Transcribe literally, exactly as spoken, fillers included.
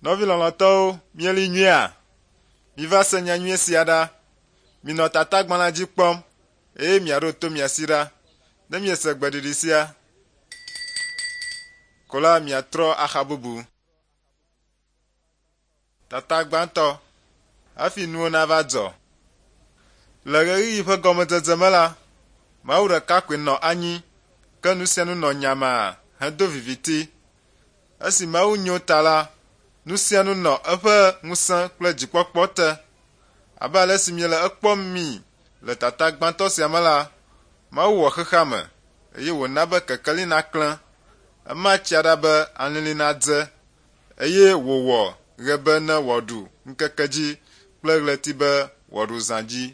Nɔvi lɔlɔ̃tɔwo, mieli nyuiea? Miva se nyanyui sia ɖa. Minɔ tatagbalẽa dzi kpɔm eye miaɖo to mia si ɖa. Ne miese gbeɖiɖi sia ko la miatrɔ axa bubu. Tata gbãtɔ hafi nuwo nava dzɔ. Le ɣeyiɣi ƒe gɔmedzedze me la, Mawu ɖeka koe nɔ anyi ke nu sia nu nɔ nyamaa hedo viviti. Esi Mawu nyo ta la, nu sia nu nɔ eƒe ŋusẽ kple dzikpɔkpɔ te. Abe ale si miele ekpɔm mi le tata gbãtɔ sia me la, Mawu wɔ xexea me eye wòna be kekeli naklẽ. Ema tsia ɖa be alili nadze eye wòwɔ ɣe be ne wòaɖu ŋkeke dzi kple ɣleti be wòaɖu zã dzi.